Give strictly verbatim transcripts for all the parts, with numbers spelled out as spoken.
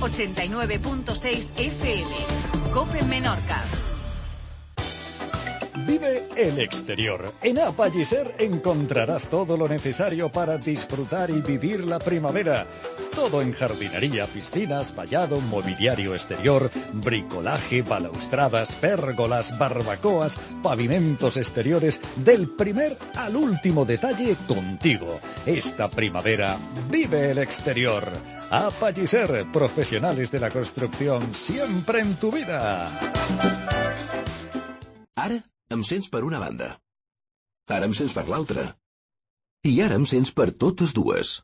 ochenta y nueve punto seis F M. COPE Menorca. Vive el exterior. En A Palliser encontrarás todo lo necesario para disfrutar y vivir la primavera. Todo en jardinería, piscinas, vallado, mobiliario exterior, bricolaje, balaustradas, pérgolas, barbacoas, pavimentos exteriores, del primer al último detalle contigo. Esta primavera, vive el exterior. A Palliser, profesionales de la construcción, siempre en tu vida. Ara em sents per una banda. Ara em sents per l'altra. I ara em sents per totes dues.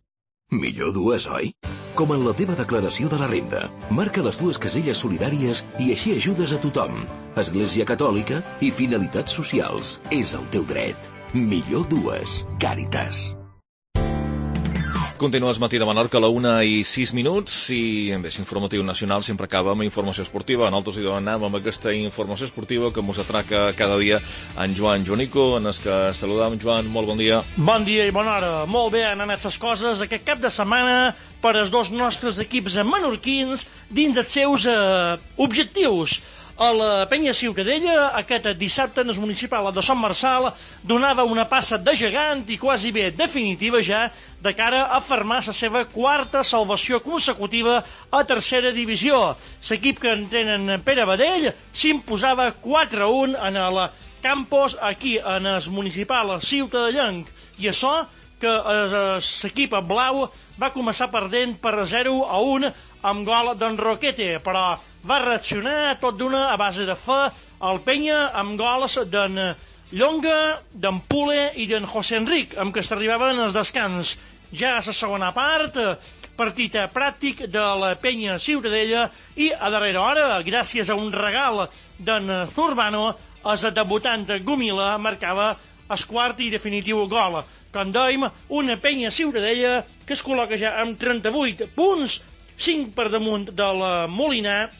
Millor dues, oi? Com en la teva declaració de la renda. Marca les dues caselles solidàries i així ajudes a tothom. Església Catòlica i finalitats socials. És el teu dret. Millor dues. Càritas. Continues Matí de Menorca a la una i sis minuts i bé, l'informatiu nacional sempre acaba amb informació esportiva. Nosaltres hi anem amb aquesta informació esportiva que ens atraca cada dia en Joan Joanico, en el que saludam. Joan, molt bon dia. Bon dia i bona hora. Molt bé, han anat les coses aquest cap de setmana per als dos nostres equips menorquins dins dels seus eh, objectius. A la Penya Ciutadella, aquest dissabte en el municipal de Sant Marçal, donava una passa de gegant i quasi bé definitiva ja de cara a fermar la seva quarta salvació consecutiva a tercera divisió. L'equip que entrenen Pere Badell s'imposava quatre a un en el campus aquí en el municipal ciutadellenc. I això que l'equip blau va començar perdent per zero a un amb gol d'en Roquete, però va reaccionar tot d'una a base de fe al Penya amb gols d'en Llonga, d'en Pule i d'en José Enric, amb què s'arribaven els descans. Ja a la segona part, partit pràctic de la Penya Ciutadella i a darrera hora, gràcies a un regal d'en Zurbano, el debutant Gumila marcava el quart i definitiu gol. Com dèiem, una Penya Ciutadella que es col·loca ja amb trenta-vuit punts, cinc per damunt del Molinar,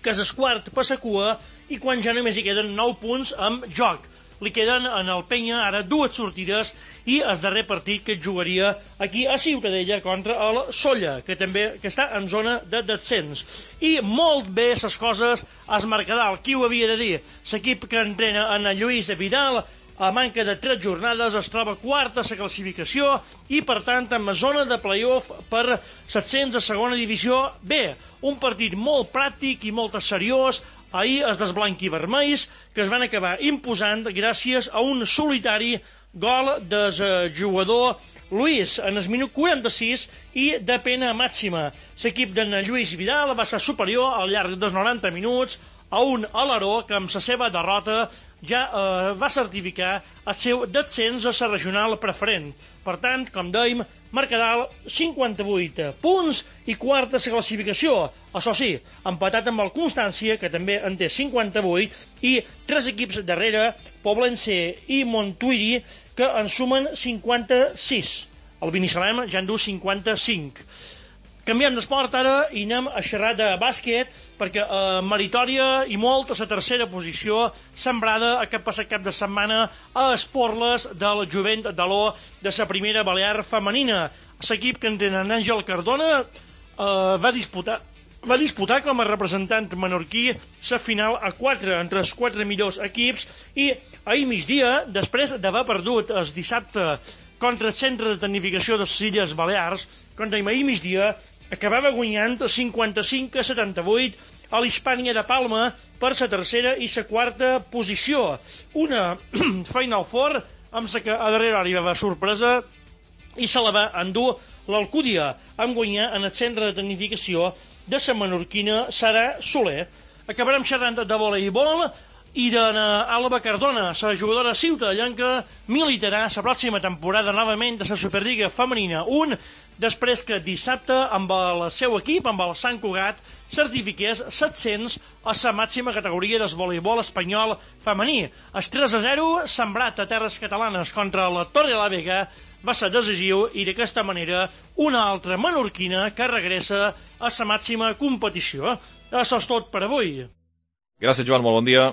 que és el quart per la cua, i quan ja només hi queden nou punts amb joc. Li queden en el Penya ara dues sortides i el darrer partit que jugaria aquí a Ciutadella contra el Solla, que també que està en zona de descens. I molt bé les coses al Mercadal, qui ho havia de dir? L'equip que entrena en Lluís Vidal, a manca de tres jornades, es troba quart a la classificació i, per tant, en la zona de play-off per set-cents a segona divisió B. Un partit molt pràctic i molt seriós. Ahir els dels blanc-i-vermells, que es van acabar imposant gràcies a un solitari gol del jugador Luis en el minut quaranta-sis i de pena màxima. L'equip d'en Lluís Vidal va ser superior al llarg dels noranta minuts a un Alaró que amb la seva derrota ja eh, va certificar el seu descens a la regional preferent. Per tant, com dèiem, Mercadal, cinquanta-vuit punts i quarta a la classificació. Això sí, empatat amb el Constància, que també en té cinquanta-vuit, i tres equips darrere, Poblense i Montuïri, que en sumen cinquanta-sis. El Binissalem ja en du cinquanta-cinc. Canviem d'esport ara i anem a xerrar de bàsquet, perquè eh, meritòria i molt a la tercera posició, sembrada aquest passat cap de setmana a Esporles del Jovent de l'O de la primera Balear femenina. L'equip que entenen Àngel Cardona eh, va disputar va disputar com a representant menorquí la final a quatre, entre els quatre millors equips, i ahir migdia, després d'haver perdut el dissabte contra el Centre de Tecnificació de les Illes Balears, contra ahir migdia, acabava guanyant cinquanta-cinc a setanta-vuit a l'Hispània de Palma per la tercera i la quarta posició. Una Final Four amb la que a darrere arribava sorpresa i se la va endur l'Alcúdia, amb guanyar en el centre de tecnificació de la menorquina Sara Soler. Acabarem xerrant de voleibol i d'Alba Cardona, la jugadora ciutadellenca, militarà la pròxima temporada novament de la Superliga Femenina un, després que dissabte amb el seu equip, amb el Sant Cugat, certifiqués set-cents a la màxima categoria del voleibol espanyol femení. El tres a zero, sembrat a terres catalanes contra la Torrelavega, va ser decisiu i d'aquesta manera una altra menorquina que regressa a la màxima competició. Això és tot per avui. Gràcies, Joan, molt bon dia.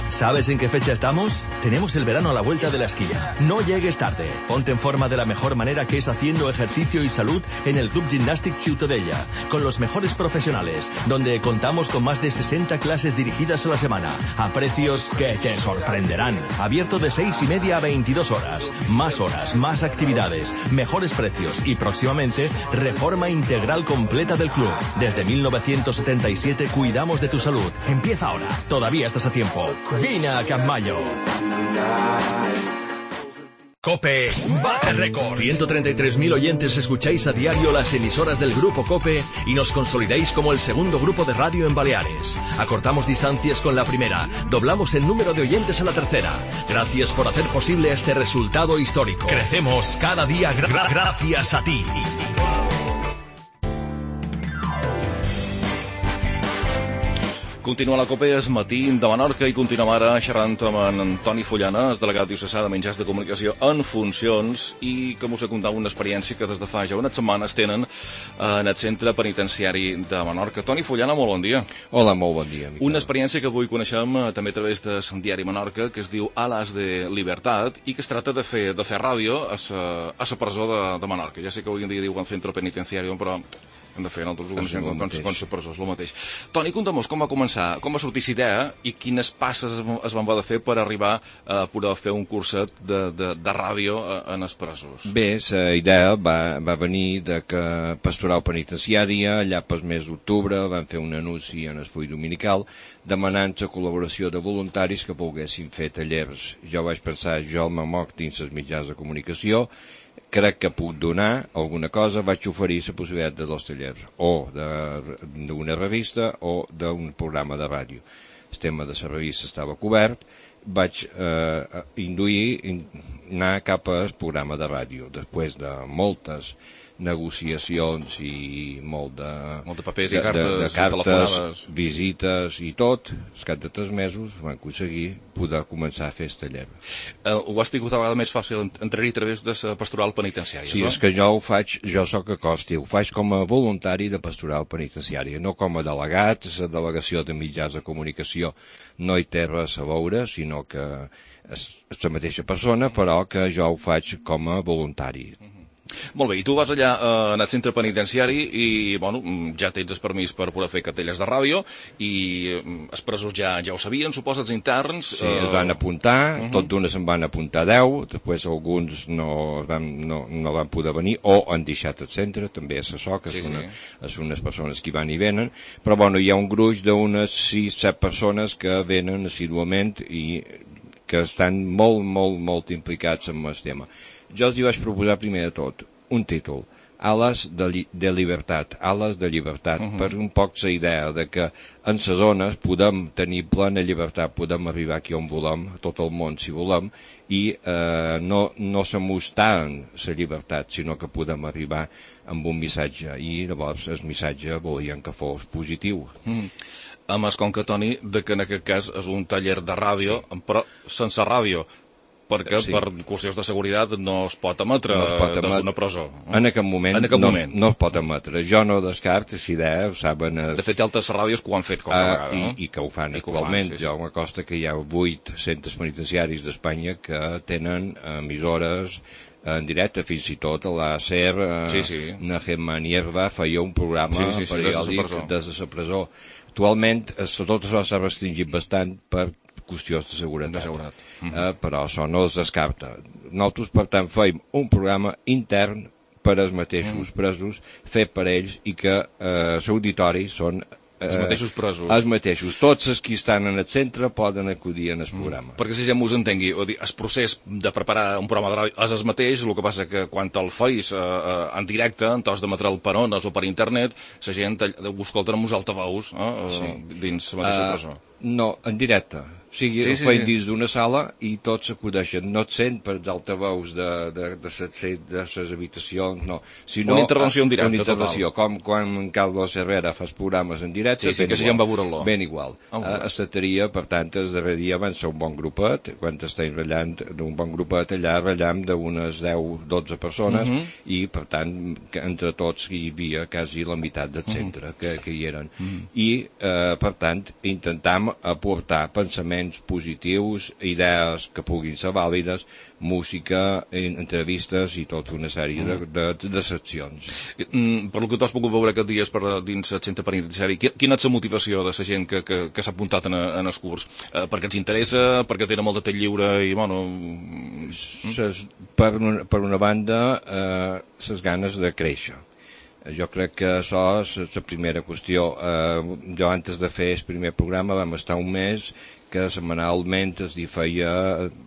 ¿Sabes en qué fecha estamos? Tenemos el verano a la vuelta de la esquina. No llegues tarde. Ponte en forma de la mejor manera, que es haciendo ejercicio y salud en el Club Gimnàstic Ciutadella, con los mejores profesionales, donde contamos con más de sesenta clases dirigidas a la semana, a precios que te sorprenderán. Abierto de seis y media a veintidós horas. Más horas, más actividades, mejores precios y próximamente reforma integral completa del club. Desde mil novecientos setenta y siete cuidamos de tu salud. Empieza ahora. Todavía estás a tiempo. Vine a Campmayo. COPE bate récord. ciento treinta y tres mil oyentes escucháis a diario las emisoras del Grupo COPE y nos consolidáis como el segundo grupo de radio en Baleares. Acortamos distancias con la primera, doblamos el número de oyentes a la tercera. Gracias por hacer posible este resultado histórico. Crecemos cada día gra gra gracias a ti. Continua la COPE, és matí de Menorca, i continuem ara xerrant amb en Toni Fullana, és delegat diocesà de Mitjans de Comunicació en funcions, i que us ha contat una experiència que des de fa ja unes setmanes tenen en el centre penitenciari de Menorca. Toni Fullana, molt bon dia. Hola, molt bon dia, Miquel. Una experiència que avui coneixem també a través del diari Menorca, que es diu Alas de Libertat, i que es tracta de fer, de fer ràdio a la presó de, de Menorca. Ja sé que avui en dia diuen centre penitenciari, però hem de fer en altres ocasions com la presó, és el mateix. Toni, conta'm-nos com va començar, com va sortir la idea i quines passes es van haver de fer per arribar a poder fer un curset de, de, de ràdio en els presos. Bé, la idea va, va venir de que Pastoral Penitenciària, allà pel mes d'octubre, van fer un anunci en el full dominical demanant la col·laboració de voluntaris que volguessin fer tallers. Jo vaig pensar, jo me moc dins els mitjans de comunicació, crec que puc donar alguna cosa, vaig oferir la possibilitat de dos tallers, o d'una revista o d'un programa de ràdio. El tema de la revista estava cobert, vaig eh, induir anar cap al programa de ràdio, després de moltes negociacions i molt de... Molt de papers i cartes, de, de, de cartes, telefonades, visites i tot. Al cap de tres mesos vam aconseguir poder començar a fer el taller. Uh, ho has tingut a vegades més fàcil entrar-hi a través de la pastoral penitenciària, sí, no? És que jo ho faig, jo soc a Costi, ho faig com a voluntari de pastoral penitenciària, no com a delegat. La delegació de mitjans de comunicació no hi té res a veure, sinó que és la mateixa persona, però que jo ho faig com a voluntari. Uh-huh. Molt bé, i tu vas allà eh, en el centre penitenciari i, bueno, ja tens el permís per poder fer cartelles de ràdio i els presos ja, ja ho sabien, suposa, els interns... Sí, eh... es van apuntar, uh -huh. tot d'una se'n van apuntar deu, després alguns no van, no, no van poder venir o han deixat el centre, també és això, que sí, són, sí. són unes persones que van i venen, però bueno, hi ha un gruix d'unes sis set persones que venen assiduament i que estan molt, molt, molt implicats en el tema. Jo els hi vaig proposar primer de tot un títol, Alas de, li de Libertat, Alas de Llibertat, uh-huh. per un poc la idea de que en les zones podem tenir plena llibertat, podem arribar aquí on volem, a tot el món si volem, i eh, no, no s'amostaren la llibertat, sinó que podem arribar amb un missatge, i llavors el missatge volien que fos positiu. Mm. A més, com que, Toni, de que en aquest cas és un taller de ràdio, sí. però sense ràdio, perquè sí. per qüestions de seguretat no es pot emetre no es pot emetre. Des d'una presó. En aquest moment, en aquest no, moment. no es pot emetre. Jo no descarto, si idea, ho saben... Es... De fet, hi ha altres ràdios que ho han fet com a uh, vegada, no? I, I que ho fan I actualment. Ho fan, sí, sí. Jo m'acosta que hi ha vuit centres penitenciaris d'Espanya que tenen emissores en directe, fins i tot a la S E R, uh, sí, sí. Najem Manierva feia un programa sí, sí, sí, periòdic des de la presó. Actualment, tot això s'ha restringit bastant per qüestions de seguretat, de seguretat. Uh-huh. eh, però això no es descarta. Nosaltres, per tant, feim un programa intern per als mateixos uh-huh. presos, fet per ells, i que eh, l'auditori són Eh, els mateixos presos. Els mateixos. Tots els que estan en el centre poden acudir en el programa. Mm. Perquè si ja m'ho entengui, el procés de preparar un programa de ràdio és el mateix, el que passa que quan el feis eh, en directe, en tos de material per ones o per internet, la gent ho escolta amb uns altaveus eh, sí. dins la mateixa uh, presó. No, en directe. O sigui, sí, sí, ho feien sí. dins d'una sala i tots s'acudeixen. No et sent per d'altaveus de, de, de, de, de les habitacions, no. Sinó, una intervenció en directe, una intervenció, total. Com quan Carlos Herrera fa programes en directe, sí, sí, ben, que igual, si ja ben igual. Oh, uh, estaria, per tant, el darrer dia van ser un bon grupet, quan estem ratllant d'un bon grupet, allà ratllam d'unes deu dotze persones, uh -huh. i, per tant, entre tots hi havia quasi la meitat del centre uh -huh. que, que hi eren. Uh -huh. I, uh, per tant, intentam aportar pensament pensaments positius, idees que puguin ser vàlides, música, entrevistes i tota una sèrie de, de, de seccions. Mm, per lo que tu has pogut veure aquests dies per, dins el centre penitenciari, quina és la motivació de la gent que, que, que s'ha apuntat en, en el curs? Eh, perquè els interessa, perquè tenen molt de temps lliure i, bueno... Ses, per, una, per una banda, eh, les ganes de créixer. Jo crec que això és la primera qüestió. Eh, jo, antes de fer el primer programa, vam estar un mes que setmanalment es feia,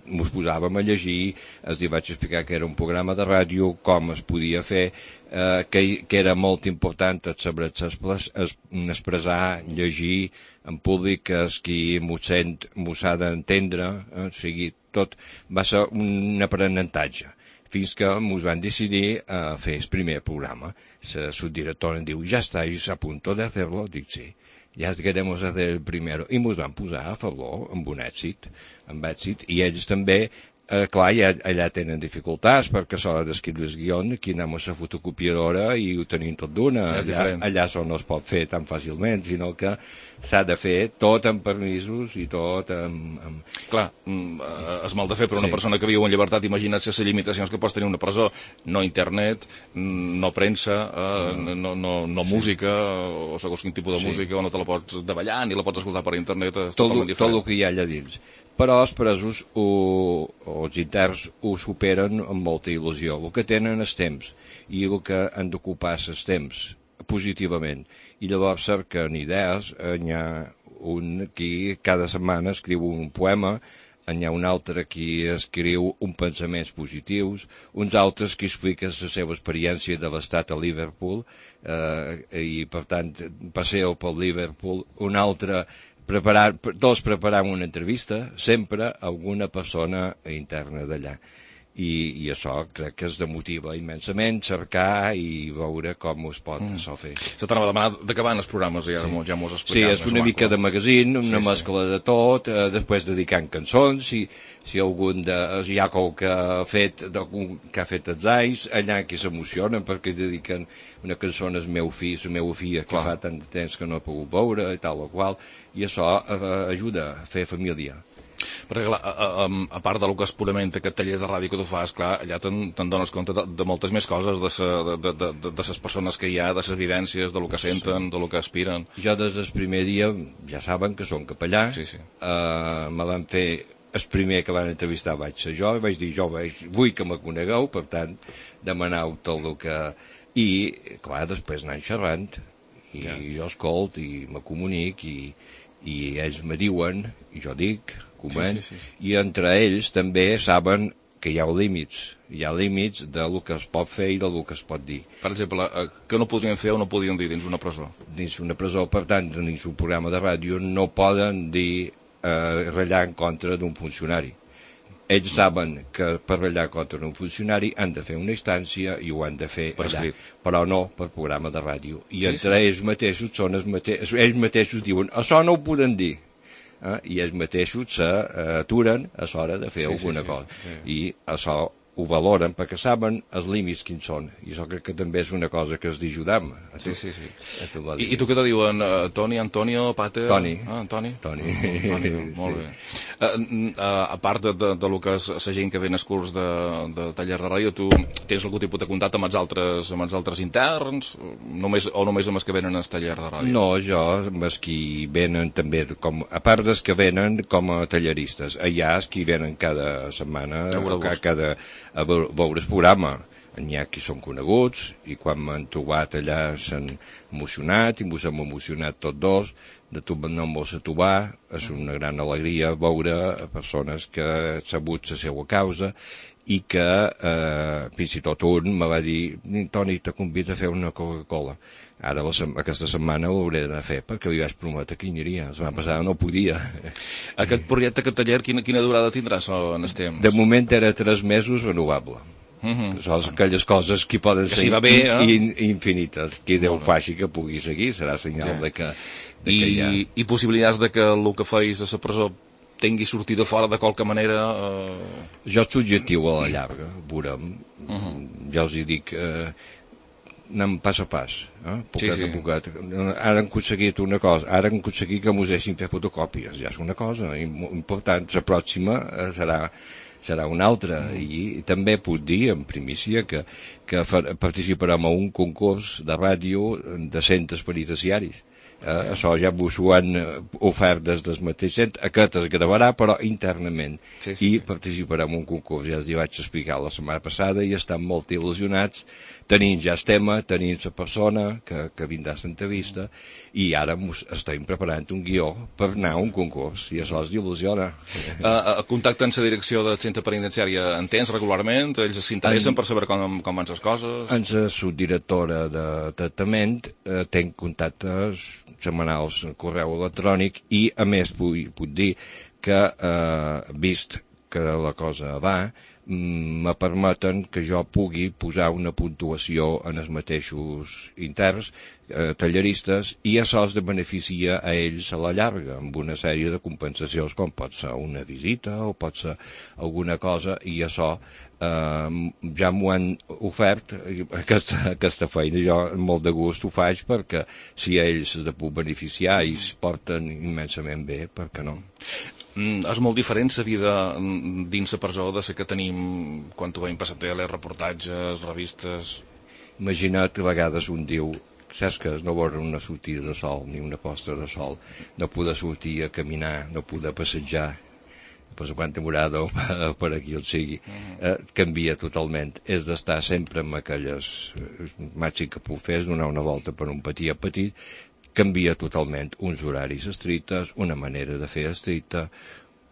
ens posàvem a llegir, es vaig explicar que era un programa de ràdio, com es podia fer, eh, que, que era molt important saber expressar, llegir en públic, que és qui m'ho sent, m'ho s'ha d'entendre, eh, o sigui, tot va ser un aprenentatge, fins que ens van decidir a fer el primer programa. La subdirectora em diu, ja està, i a punto de hacerlo, dic sí. Ja queremos hacer el primero, i ens van posar a favor amb un èxit, amb èxit, i ells també, eh, clar, ja, allà tenen dificultats, perquè a l'hora d'escriure el guion, aquí anem a la fotocopiadora i ho tenim tot d'una, allà, allà això no es pot fer tan fàcilment, sinó que s'ha de fer tot amb permisos i tot amb... amb... Clar, és mal de fer per una sí. persona que viu en llibertat. Imagina't les limitacions que pots tenir una presó. No internet, no premsa, eh, no, no, no, no música, o segons quin tipus de sí. música, o no te la pots davallar, ni la pots escoltar per internet, és tot totalment diferent. Tot el que hi ha allà dins. Però els presos o, o els interns ho superen amb molta il·lusió. El que tenen és temps, i el que han d'ocupar és temps, positivament. I llavors cerquen idees, hi ha un qui cada setmana escriu un poema, hi ha un altre qui escriu un pensaments positius, uns altres qui expliquen la seva experiència de l'estat a Liverpool, eh, i per tant passeu per Liverpool, un altre preparar, tots preparant una entrevista, sempre alguna persona interna d'allà. I, i això crec que es demotiva immensament, cercar i veure com es pot mm. això fer. Se t'anava a demanar d'acabar els programes, ja, sí. ja m'ho has explicat. Sí, és una mica de magazine, una sí, mescla sí. de tot, eh, després dedicant cançons, si, si algun de, hi ha qualcú que ha fet, que ha fet els anys, allà que s'emocionen perquè dediquen una cançó al meu fill, la meva filla, que Clar. fa tant de temps que no he pogut veure, i tal o qual, i això eh, ajuda a fer família. Perquè, clar, a, a, a part del que és purament aquest taller de ràdio que tu fas, clar, allà te'n te dones compte de, de moltes més coses, de, sa, de, de, de, de, de les persones que hi ha, de les vivències, de lo que senten, de lo que aspiren. Jo des del primer dia, ja saben que som capellà, sí, sí. Uh, me van fer, el primer que van entrevistar vaig ser jo, i vaig dir, jo vaig, vull que me conegueu, per tant, demaneu tot el que... I, clar, després anant xerrant, i ja. jo escolt, i me comunic, i, i ells me diuen, i jo dic... Sí, sí, sí, sí. I entre ells també saben que hi ha límits, hi ha límits del que es pot fer i del que es pot dir. Per exemple, què no podien fer o no podien dir dins una presó? Dins una presó, per tant, dins un programa de ràdio no poden dir eh, ratllar en contra d'un funcionari. Ells saben que per ratllar contra un funcionari han de fer una instància i ho han de fer per allà, escrit. Però no per programa de ràdio. I sí, entre sí. ells mateixos són els mateixos, ells mateixos diuen, això no ho poden dir. Eh, i ells mateixos s'aturen a l'hora de fer sí, alguna sí, sí, cosa. Sí. I això ho valoren perquè saben els límits quins són. I això crec que també és una cosa que es d'ajudar. Sí, sí, sí. I, I tu què te diuen? Uh, Toni, Antonio, Pater? Toni. Ah, Toni? Toni. Oh, Toni, molt sí. bé. Uh, uh, a part de, de, de lo que és la gent que ve en els curs de, de taller de ràdio, tu tens algun tipus de contacte amb els altres, amb els altres interns? Només, o només amb els que venen al taller de ràdio? No, jo amb els que venen també, com, a part dels que venen com a talleristes. Allà els que venen cada setmana, cada, cada a veure el programa. N'hi ha qui són coneguts i quan m'han trobat allà s'han emocionat i ens hem emocionat tots dos de trobar no mos a trobar. És una gran alegria veure persones que han sabut la seva causa i que eh, fins i tot un me va dir, Toni, te convido a fer una Coca-Cola. Ara aquesta setmana ho hauré d'anar a fer perquè li vaig prometre que hi aniria. La setmana passada no podia. Aquest projecte, aquest taller, quina, quina durada tindrà en els temps? De moment era tres mesos renovable. Uh-huh. Són aquelles coses que poden que ser si va bé, eh? in, infinites. Qui Déu faci que pugui seguir serà senyal sí. de que, de I, que hi ha... I possibilitats de que el que feis a la presó tingui sortida fora de qualque manera... Eh... Jo és subjectiu a la llarga, veurem. Uh-huh. Jo els hi dic... Eh, anem pas a pas, eh? poquet Sí, sí. a poquet. Ara han aconseguit una cosa, ara han aconseguit que mos deixin fer fotocòpies, ja és una cosa important. La pròxima serà, serà una altra, mm. i, i també puc dir, en primícia, que, que participarem a un concurs de ràdio de centres penitenciaris. Eh, això ja vos ho han ofert des del mateix centre, aquest es gravarà però internament, sí, sí, i participarem en un concurs, ja els hi vaig explicar la setmana passada i estan molt il·lusionats, tenint ja el tema, tenint la persona que, que vindrà a l'entrevista, i ara mos estem preparant un guió per anar a un concurs, i això els il·lusiona. Uh, contacte amb la direcció del centre penitenciari en tens regularment? Ells s'interessen en... per saber com, com van les coses? En la subdirectora de tractament eh, tenc contactes setmanals en correu electrònic, i a més puc, puc dir que, eh, vist que la cosa va, me permeten que jo pugui posar una puntuació en els mateixos interns, eh, talleristes, i això els beneficia a ells a la llarga, amb una sèrie de compensacions, com pot ser una visita o pot ser alguna cosa, i això eh, ja m'ho han ofert, aquesta, aquesta feina. Jo molt de gust ho faig, perquè si ells es de puc beneficiar i es porten immensament bé, per què no? Mm, és molt diferent la vida dins la presó de la que tenim quan ho veiem per la tele, reportatges, revistes... Imagina't que a vegades un diu, saps que no veure una sortida de sol ni una posta de sol, no poder sortir a caminar, no poder passejar per la quanta morada o per, per aquí on sigui, eh, canvia totalment. És d'estar sempre amb aquelles eh, màxim que puc fer, és donar una volta per un patí a petit, canvia totalment. Uns horaris estrictes, una manera de fer estricta,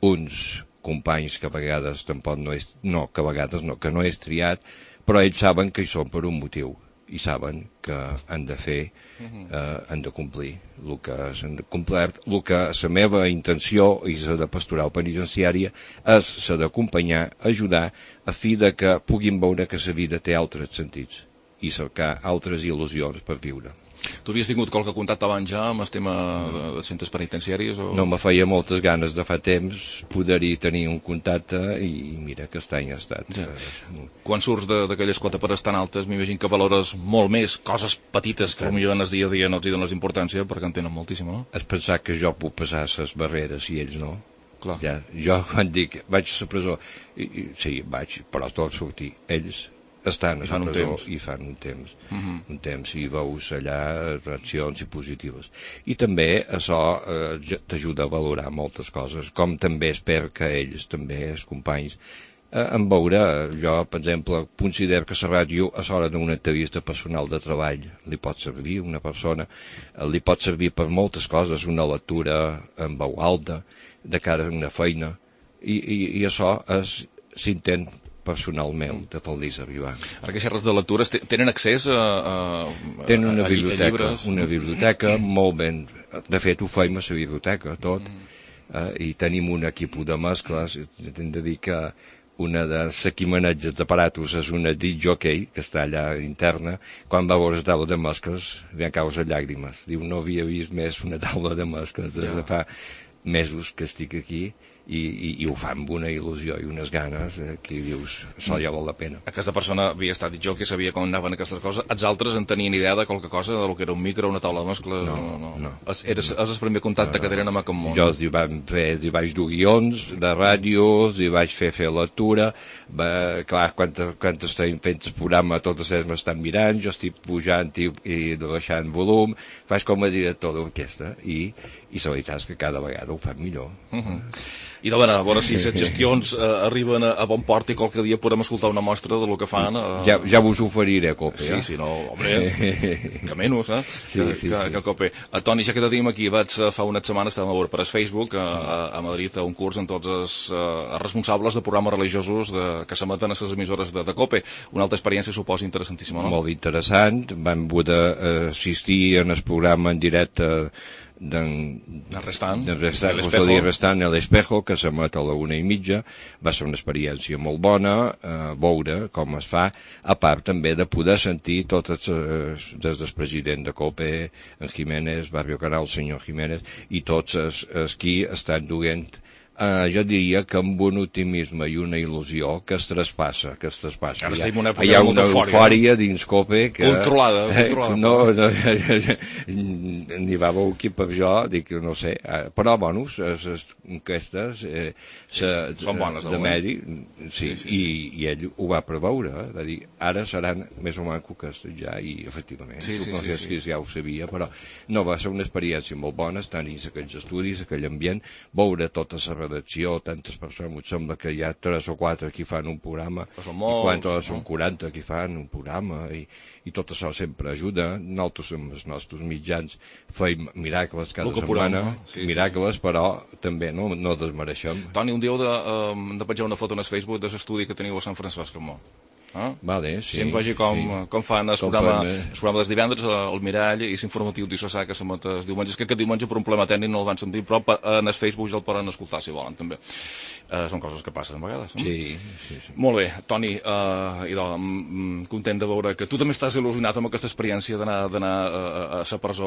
uns companys que a vegades tampoc no és, no, que a vegades no, que no és triat, però ells saben que hi són per un motiu, i saben que han de fer, eh, han de complir el que s'han de complert. El que la meva intenció i la de pastoral penitenciària és la d'acompanyar, ajudar, a fi de que puguin veure que la vida té altres sentits i cercar altres il·lusions per viure. Tu havies tingut qualque contacte abans ja amb el tema de, de centres penitenciaris? O... No, me feia moltes ganes de fa temps poder-hi tenir un contacte, i mira que aquest any ha estat. Ja. Quan surts d'aquelles quotes pares tan altes, m'imagino que valores molt més coses petites que potser en el dia a dia no els hi dones importància, perquè en tenen moltíssima, no? És pensar que jo puc passar les barreres i ells no. Clar. Ja, jo quan dic vaig a la presó, i, i, sí, vaig, però tot sortir. Ells estan a la presó i fan un temps, uh-huh. un temps, i veus allà reaccions i positives. I també això eh, t'ajuda a valorar moltes coses, com també espero que ells, també els companys, eh, en veure, jo, per exemple, considero que la ràdio a l'hora d'una entrevista personal de treball li pot servir una persona, eh, li pot servir per moltes coses, una lectura en veu alta, de cara a una feina, i, i, i això és s'intent personal meu, de pel·lis arribar. Ara que xerres de lectures, tenen accés a, a, tenen una a, biblioteca, a llibres? Una biblioteca molt ben... De fet, ho feim a la biblioteca, tot, mm. eh, i tenim un equip de mescles. Hem de dir que una de les equimanatges d'aparatos és una disc jockey, que està allà interna. Quan va veure la taula de mescles, li han caus les llàgrimes. Diu, no havia vist més una taula de mescles des de fa mesos que estic aquí, i, i, i ho fa amb una il·lusió i unes ganes, eh, que dius, això ja val la pena. Aquesta persona havia estat dit jo que sabia com anaven aquestes coses. Els altres en tenien idea de qualque cosa, de lo que era un micro, una taula de mescles? No, no. no. no. És, eres, és el primer contacte no, no. que tenen amb aquest món. Jo els hi vaig fer, els hi vaig dur guions de ràdio, els hi vaig fer fer lectura, va, clar, quan, quan estem fent el programa totes elles m'estan mirant, jo estic pujant i, i baixant volum, faig com a director d'orquestra, i, i la veritat és que cada vegada ho fan millor. Uh-huh. I de veure, a veure si les gestions eh, arriben a, a bon port i qualque dia podem escoltar una mostra de lo que fan. Eh... Ja, ja vos oferiré, Cope. Sí, eh? sí, no, home, que menys, eh? Sí, que, sí, que, sí. que Cope. Uh, Toni, ja que te tenim aquí, vaig uh, fa unes setmanes, estàvem a veure per el Facebook, uh, a, a Madrid, a un curs amb tots els uh, responsables de programes religiosos de, que s'emeten a les emissores de, de Cope. Una altra experiència, suposo, interessantíssima, no? Molt interessant. Vam poder uh, assistir en el programa en directe del restant, restant, el restant a l'Espejo, que s'emet a la una i mitja. Va ser una experiència molt bona, eh, veure com es fa, a part també de poder sentir tots els, des del president de Cope, en Jiménez, Barrio Canal, el senyor Jiménez, i tots els, els qui estan duent Uh, jo diria que amb un optimisme i una il·lusió que es traspassa, que es traspassa. Ara hi ha, estem en una època hi ha de molta una eufòria, eufòria dins Cope que... Controlada, controlada. Eh, no, no n'hi va veure aquí per jo, dic, no sé, eh, però, bueno, les enquestes eh, sí, se, són bones, de medi, sí, sí, sí, i, i ell ho va preveure, eh, va dir, ara seran més o menys aquestes ja, i efectivament, sí, sí, sí, sí, que ja ho sabia, però no, va ser una experiència molt bona, estar dins aquells estudis, aquell ambient, veure tota la redacció, tantes persones, em sembla que hi ha tres o quatre que fan un programa, són molts, i quan no? són no? quaranta que fan un programa, i, i tot això sempre ajuda. Nosaltres amb els nostres mitjans feim miracles cada setmana, no? sí, miracles, sí, sí. Però també no, no desmereixem. Toni, un dia heu de, um, de penjar una foto en el Facebook de l'estudi que teniu a Sant Francesc, amb Ah? Vale, sí, si em vegi com, sí. com fan el programa, el programa dels divendres al Mirall i l'informatiu d'Issosà que s'emet els diumenges, que aquest diumenge per un problema tècnic no el van sentir, però en el Facebook ja el poden escoltar si volen també. Uh, són coses que passen a vegades. No? Sí, sí, sí. Molt bé, Toni, uh, idò, content de veure que tu també estàs il·lusionat amb aquesta experiència d'anar a la presó